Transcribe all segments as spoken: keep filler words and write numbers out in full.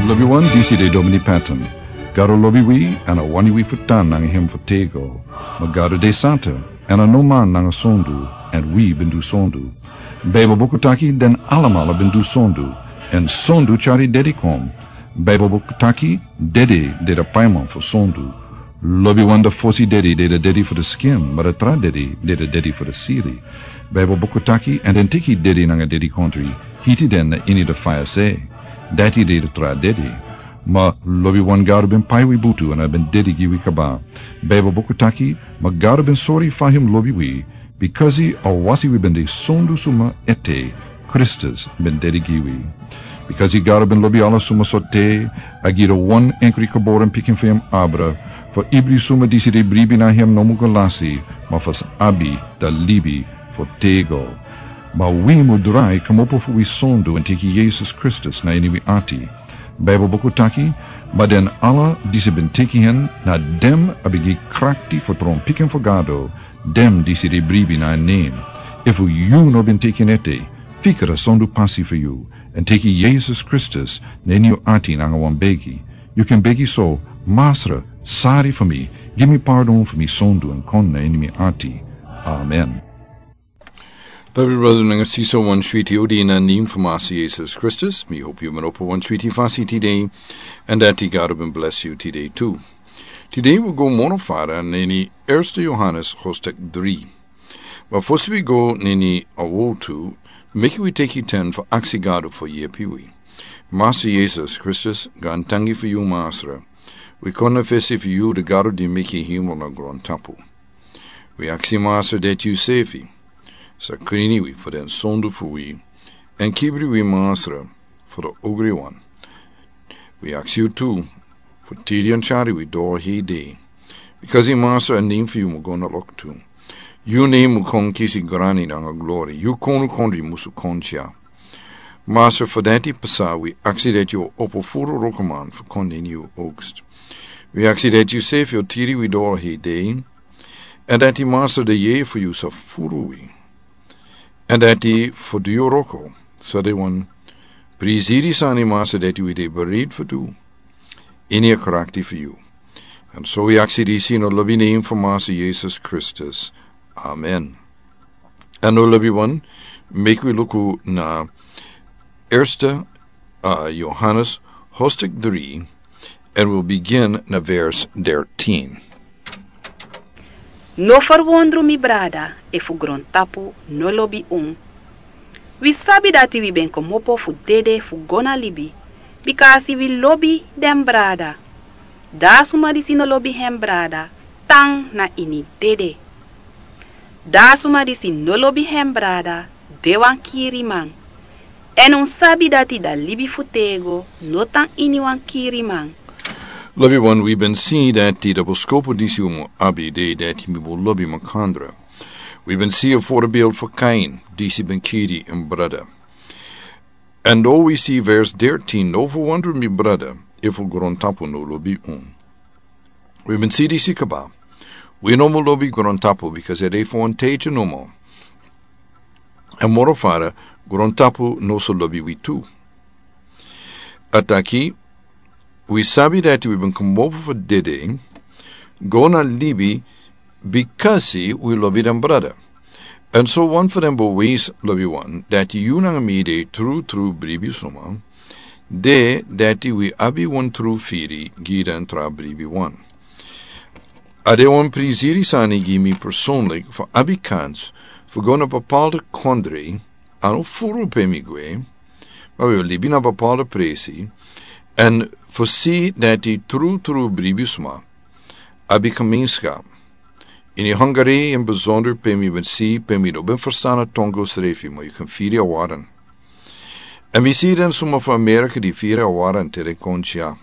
Lobi wan, disi de Domini Patton. Gado lobi wi, èn a wani wi fu tan nanga hem fu tego. Ma Gado de santa, èn a no man nanga sondu, èn wi ben du sondu. Baibel buku taki den alamala ben du sondu, èn sondu tyari dede kon. Baibel buku taki dede de da paiman fu sondu. Lobi wan, da fosi dede de da dede fu da skin, ma da tra dede de da dede fu da siri. Baibel buku taki, èn den teki dede nanga dede kontri, hiti den na ini da faya se. Dati de da tra dede. Ma lobi wan, Gado ben pai wi butu èn a ben dede gi wi kaba. Baibel buku taki, ma Gado ben sori fa hem lobi wi, bikasi a wasi wi ben de sondu suma ete, Kristus ben dede gi wi. Bikasi Gado ben lobi ala suma sorte, a gi da wan enkri geboren pikin fu hem abra, fu ibri suma disi de bribi na hem no mu go lasi, ma fu sa abi da libi fu tego. Ma wi mu drai kmopo fu wi sondu èn teki Yesus Kristus na ini wi ati. Baibel buku taki, ma den ala disi ben teki hen, na den a ben gi krakti fu tron pikin fu Gado, den disi de bribi na en nen. Efu yu no ben teki en ete, fika da sondu pasi fu yu, èn teki Yesus Kristus na ini yu ati nanga wan begi. Yu kan begi so: Masra, sari fu mi, gi mi pardon fu mi sondu èn kon na ini mi ati. Amen. Lobi brada nanga sisa, wan switi odi na nen fu Masa Yesus Kristus. Mi hopi yu ben opo wan switi fasi tide, èn dati Gado ben blesi yu tide tu. Tide wi go moro fara na ini Erste Yohanes hoofdstuk dri. Ma fosi wi go na ini a wotu, meki wi teki ten fu aksi Gado fu yepi wi. Masa Yesus Kristus, gaantangi fu yu Masra. Wi kon na fesi fu yu, da Gado di meki hemel nanga grontapu. Wi aksi Masra dati yu sefi sa krini wi fu den sondu fu wi, èn kibri wi Masra fu da ogriwan. Wi aksi yu tu fu tiri èn tyari wi doro hei dei. Bikasi Masra, a nen fu yu mu go na loktu. Yu nen mu kon kisi grani nanga glori. Yu konu kondre musu kon tya. Masra, fu dati pasa wi aksi dati yu o opo furu wrokoman fu kon na ini yu oogst. Wi aksi dati yu sefi o tiri wi doro hei dei. Èn dati Masra, da yeye fu yu sa furu wi. Èn dati fu du yu wroko sa de wan prisiri sani Masra dati wi de bereid fu du. Ini a krakti fu yu. Èn so wi aksi disi na lobi nen fu Masa Yesus Kristus. Amen. Èn na lobi wan, meki wi luku na Erste, uh, Yohanes hoofdstuk dri, èn wi begin na vers dertien. No ferwondru, mi brada, efu grontapu no lobi un. Wi sabi dati wi ben kmopo fu dede fu go na libi, bikasi wi lobi den brada. Da suma disi no lobi hem brada, tan na ini dede. Da suma disi no lobi hem brada, de wan kiriman. Èn un sabi dati da libi fu tego no tan ini wan kiriman. Lobi wan, wi ben si dati da boskopu disi un mu abi de dati mi mu lobi makandra. Wi ben si a voorbeeld fu Kain, disi ben kiri en brada. Èn dan wi si vers dertien: No ferwondru, mi brada, efu grontapu no lobi un. Wi ben si disi kaba. Wi no mu lobi grontapu, bikasi a de fu wan tiedje nomo. Èn moro fara, grontapu no sa lobi wi tu. A taki, wi sabi dati wi ben kmopo fu dede, go na libi, bikasi wi lobi den brada. Èn so wan fu den bewijsi, lobi wan, dati yu nanga mi de trutru bribi suma, de dati wi abi wan tru firi gi den tra bribi wan. A de wan prisiri sani gi mi persoonlijk fu abi kans fu go na bepaalde kondre, a no furu pe mi gwe, ma wi o libi na bepaalde presi, èn fu si dati trutru bribi suma abi gemeenschap. Ini Hungary in bijzonder, pe mi ben si, pe mi no ben ferstan a tongo srefi, ma yu kan firi a waran. Èn mi si den suma fu Amerika di firi a waran te den kon tya.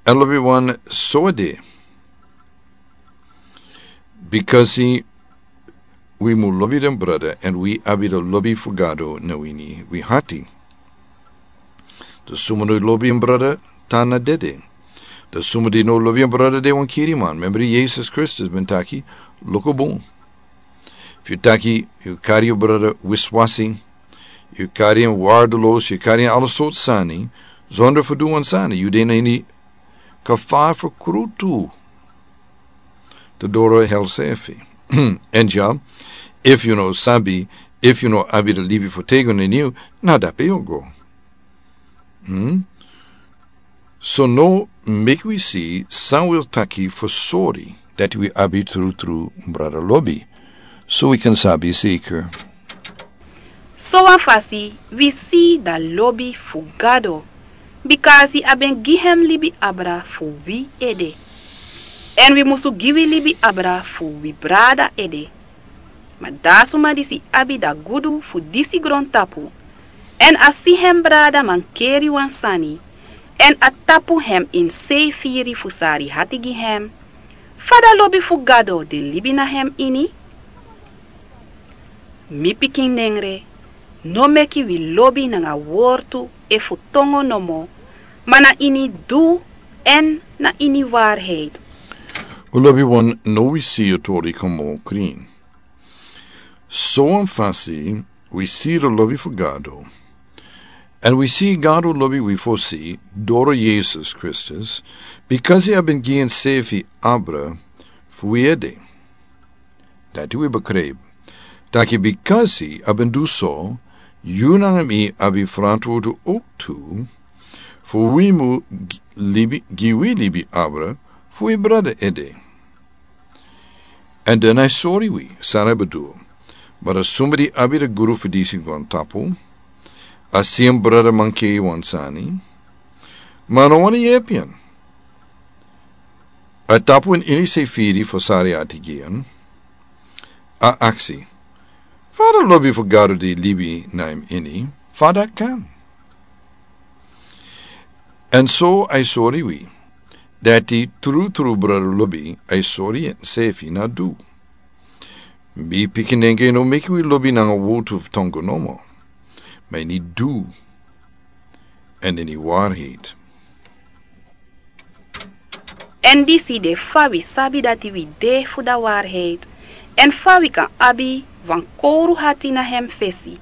Èn lobi wan, so a de. Bikasi wi mu lobi den brada, èn wi abi da lobi fu Gado na ini wi hati. Da suma no lobi en brada, tan na dede. Da suma di no lobi en brada, de wan kiriman. Membri, Yesus Kristus ben taki, luku bun. Efu yu taki yu kari yu brada wiswasi, yu kari en waardeloos, yu kari en ala sortu sani, Zonder fu du wan sani yu de na ini kafar fu krutu. Te doro hel sefi. Èn dya, efu yu no sabi, efu yu no abi de libi fu têgo na ini yu, na dape yu o go. Hmm? So now meki wi si san wi o taki fu sori dati wi abi trutru brada lobi, so wi kan sabi seker. So wan fasi wi si da lobi fu Gado, bikasi a ben gi hem libi abra fu wi ede. Èn wi musu gi wi libi abra fu wi brada ede. Ma da suma disi abi da gudu fu disi grontapu, èn a si hem brada mankeri wan sani, èn a tapu hem ini sei firi fu sari hati gi hem, fa da lobi fu Gado de libi na hem ini? Mi pikin nengre, no meki wi lobi nanga wortu efu tongo nomo, ma na ini du èn na ini waarheid. Wi lobi wan, now wi si yu tori kon moro krin. So wan fasi wi si de lobi fu Gado. Èn wi si Gado lobi wi fosi doro Yesus Kristus, bikasi a ben gi ensefi abra fu wi ede. Dati wi begrijp. Taki bikasi a ben du so, yu nanga mi abi frantwortu ook tu, fu wi mu gi-, libi, gi wi libi abra fu wi brada ede. Èn dan a sori wi san a bedoel. Ma da suma di abi de gudu fu disi grontapu, a si en brada mankeri wan sani, ma a no wani yepi en. A tapu en ini sei firi fu sari hati gi en. A aksi, fa da lobi fu Gado di libi na hem ini, fa dati kan? Èn so a sori wi dati trutru brada lobi a sori ensefi na du. Mi pikin nengre, no meki wi lobi nanga wortu fu tongo nomo, ma ini du èn ini waarheid. Èn disi de fa wi sabi dati wi de fu da waarheid, èn fa wi kan abi wan kowru hati na hem fesi.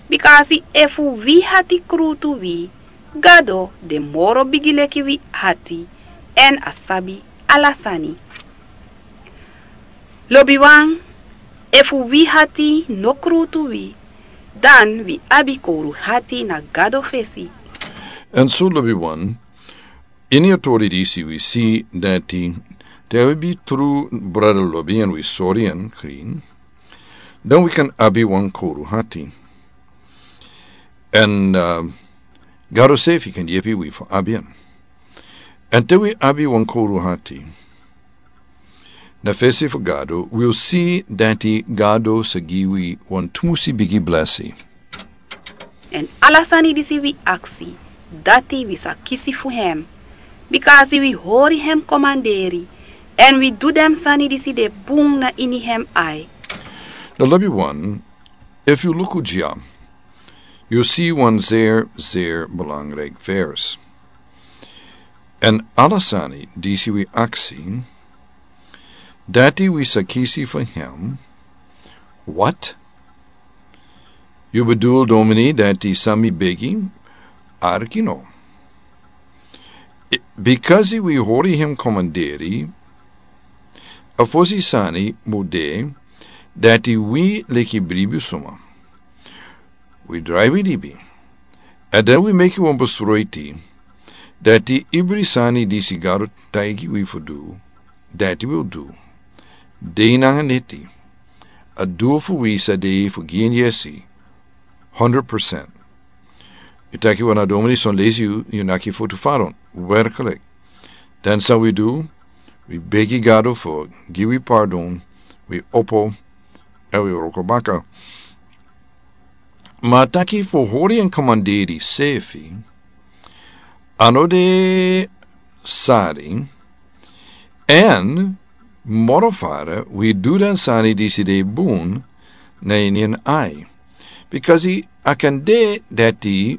Bikasi efu wi hati krutu wi, Gado de moro bigi leki wi hati, èn a sabi ala sani. Lobiwan, efu wi hati no krutu wi, dan wi abi kowru hati na Gado fesi. Èn so lobiwan, ini a tori disi wi si dati te wi abi tru brada lobi èn wi sori en krin, dan wi kan abi wan kowru hati. Èn, eh, Gado sefi kan yepi wi fu abi en. Èn te wi abi wan kowru hati na fesi fu Gado, wi o si dati Gado sa gi wi wan tumusi bigi blesi. Èn ala sani disi wi aksi, dati wi sa kisi fu hem, bikasi wi hori hem komanderi, èn wi du den sani disi de bun na ini hem ai. Na lobiwan, efu yu luku dya, yu si wan zeer, zeer belangrijk vers. Èn ala sani disi wi aksi, dati wi sa kisi fu hem. Wat? Yu bedoel, domini, dati san mi begi? Arki no. I-, bikasi wi hori hem komanderi, a fosi sani mu de, dati wi leki bribi suma. Wi drai wi libi. Èn dan wi meki wan besluiti, dati ibri sani disi Gado taigi wi fu du, dati wi o du. Dei nanga neti. A dul fu wi sa de fu gi en yesi, hundred percent. Yu taki wan a domini son lesi yu, yu naki fotu faron. Werkelijk. Dan san wi du, wi begi Gado fu gi wi pardon, wi opo, èn wi wroko baka. Ma taki fu hori en komanderi sefi, a no de sari, èn moro fara wi du den sani disi de bun na ini en ai. Bikasi a kan de dati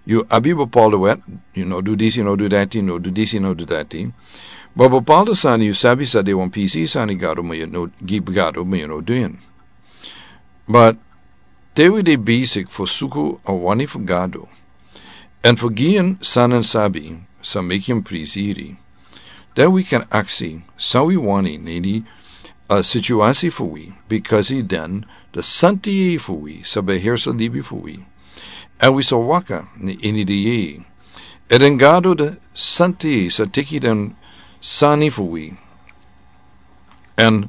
yu abi bepaalde wet, yu no du disi, no du dati, no du disi, no du dati. Ma bepaalde sani yu sabi sa de wan pisi sani Gado, ma yu no gi Gado, ma yu no du en. But te wi de besigi fu suku a wani fu Gado, Èn fu gi en san en sabi, san meki en prisiri. Dan wi kan aksi san wi wani na ini a situasi fu wi, bikasi dan de santi yei fu wi sa behersa libi fu wi. Èn wi sa waka na ini de yei. Èn den gado de santi yei sa teki den sani fu wi. Èn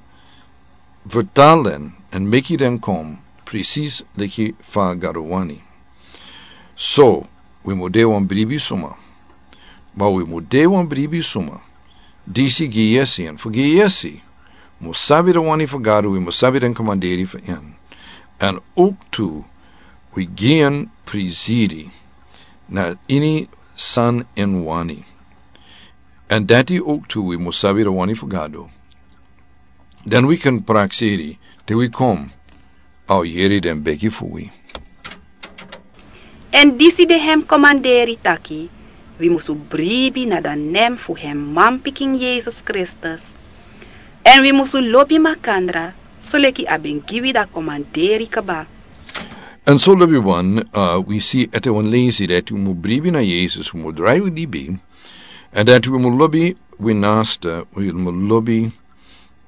vertalen èn meki den kon presis leki fa gado wani. So wi mu de wan bribi suma. Ma wi mu de wan bribi suma. Disi gi yesi èn fu gi yesi. Mu sabi de wani fu gado wi mu sabi den komanderi fu en. Èn oktu wi gi en prisiri na ini san en wani. Èn dati oktu wi mu sabi de wani fu gado. Dan wi kan praksiri te wi kom. Au yeri den begi fu wi. Èn disi de hem komanderi taki wi musu bribi na dan nem fu hem manpikin yesus kristus. Èn wi musu lobi makandra soleki a ben gi wi dan komanderi kaba. Èn so lobi wan wi si ete wan lesi dati wi mu bribi na yesus wi mu drai wi dibi. Èn dati wi mu lobi wi nasta wi mu lobi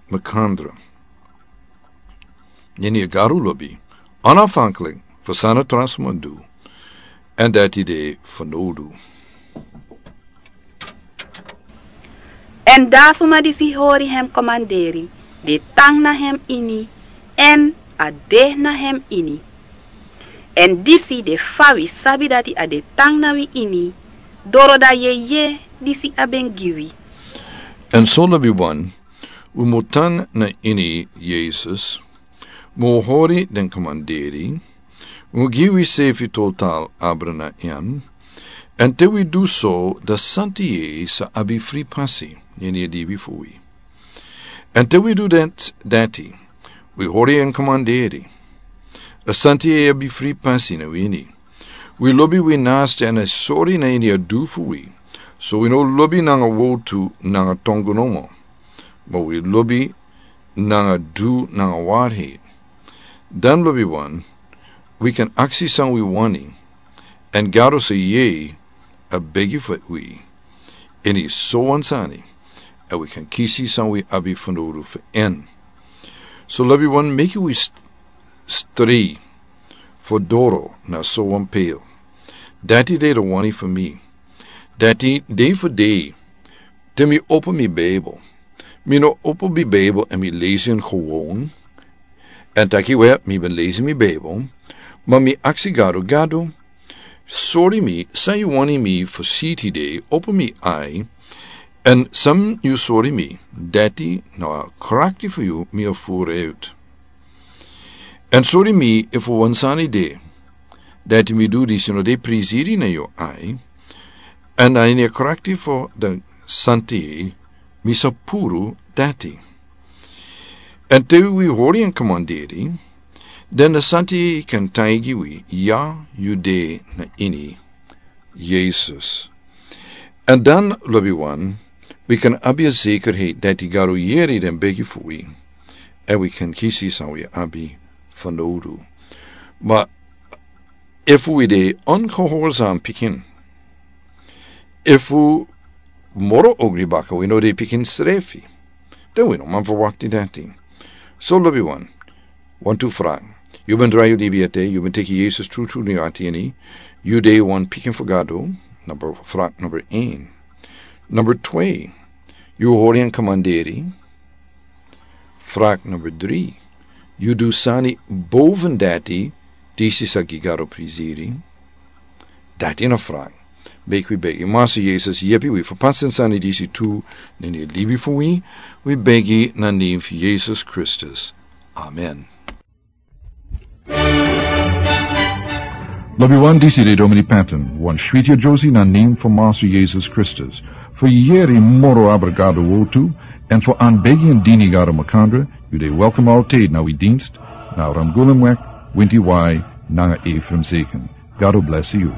makandra. Nini a garu lobi ana fanklik fu sana transmandu. Èn dati de fanodu. Èn dan suma disi hori hem komanderi de tan na hem ini èn a de na hem ini. Èn disi de fa wi sabi dati a de tan na wi ini doro dan yeye disi a ben gi wi. Èn so lobi wan wi mu tan na ini yesus. Wi mu hori den komanderi. Wi mu gi wi sefi total abra na en. Èn te wi du so dan santi yei sa abi fri pasi na ini a dibi fu wi. Èn te wi du dati wi hori en komanderi. A santi yei abi fri pasi na wi ini. Wi lobi wi nasta èn a sori na ini a du fu wi. So wi no lobi nanga wotu nanga tongo nomo. Ma wi lobi nanga du nanga warheit. Dan lobi wan wi kan aksi san wi wani. Èn gado se yei a begi fu wi. Ini so wan sani èn wi kan kisi san wi abi fanodu fu en. So lobi wan meki wi stri fu doro na so wan pei. Dati de de wani fu mi. Dati de fu de. Te mi opo mi bibel mi no opo mi bibel èn mi lesi en gewon. Èn taki we mi ben lesi mi bibel. Ma mi aksi gado gado sori mi san yu wani mi fu si tide opo mi ai. Èn san yu sori mi dati na a krakti fu yu mi a furu uit. Èn sori mi efu wan sani de dati mi du disi no de prisiri na yu ai. Èn a ini a krakti fu dan santi mi sa puru dati. Èn te wi hori en komanderi dan dan santi kan taigi wi ya yu de na ini yesus. Èn dan lobi wan wi kan abi a sekerheit dati gado yeri den begi fu wi. Èn wi kan kisi san wi abi fanodu. Ma efu wi de ongehorsam pikin efu moro ogri baka wi no de pikin srefi. Dan wi no man verwakti dati. So lobi wan wantu frak. Yu ben drai yu dibi ete yu ben teki yesus trutru ni ati ini. Yu de wan pikin fu gado. Number frak number ein. Number twee. Yu hori en komanderi. Frak number dri. Yu du sani boven dati disi sa gi gado prisiri. Dati na frak. Begi wi begi masa yesus yepi wi fu pasin sani disi tu. Nini libi fu wi. Wi begi na nim fu yesus kristus. Amen. Lobi wan disi de domini patin wan switi a josi na nim fu masa yesus kristus. Fu yeri moro abra gado wotu èn fu an begi en dini gado makandra. Yu de welkom altid na wi dinst na ramgulum wek winti wai nanga efrem seken. Gado blesi yu.